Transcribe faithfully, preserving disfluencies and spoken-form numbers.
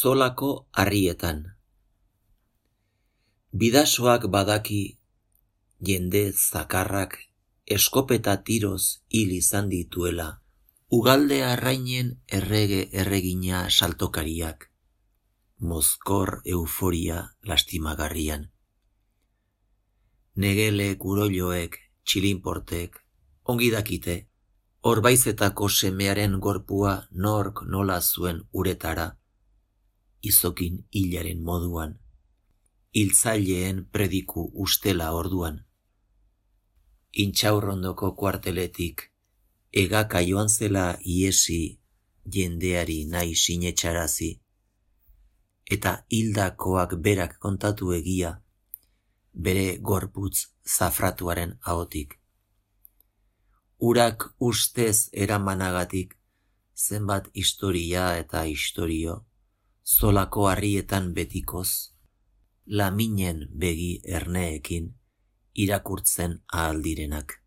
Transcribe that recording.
Zolako harrietan. Bidasoak badaki jende zakarrak eskopeta tiroz hil izan dituela, ugalde arrainen errege erregina saltokariak, mozkor euforia lastimagarrian. Negele kuroiloek, txilinportek, ongi dakite, orbaizetako semearen gorpua nork nola zuen uretara, izokin hilaren moduan, hiltzaileen prediku ustela orduan. Intxaurrondoko kuarteletik, egaka joan zela iesi jendeari nahi sinetxarazi, eta hildakoak berak kontatu egia, bere gorputz zafratuaren ahotik. Urak ustez eramanagatik, zenbat historia eta istorio, zolako harrietan betikoz, laminen begi erneekin irakurtzen ahal direnak.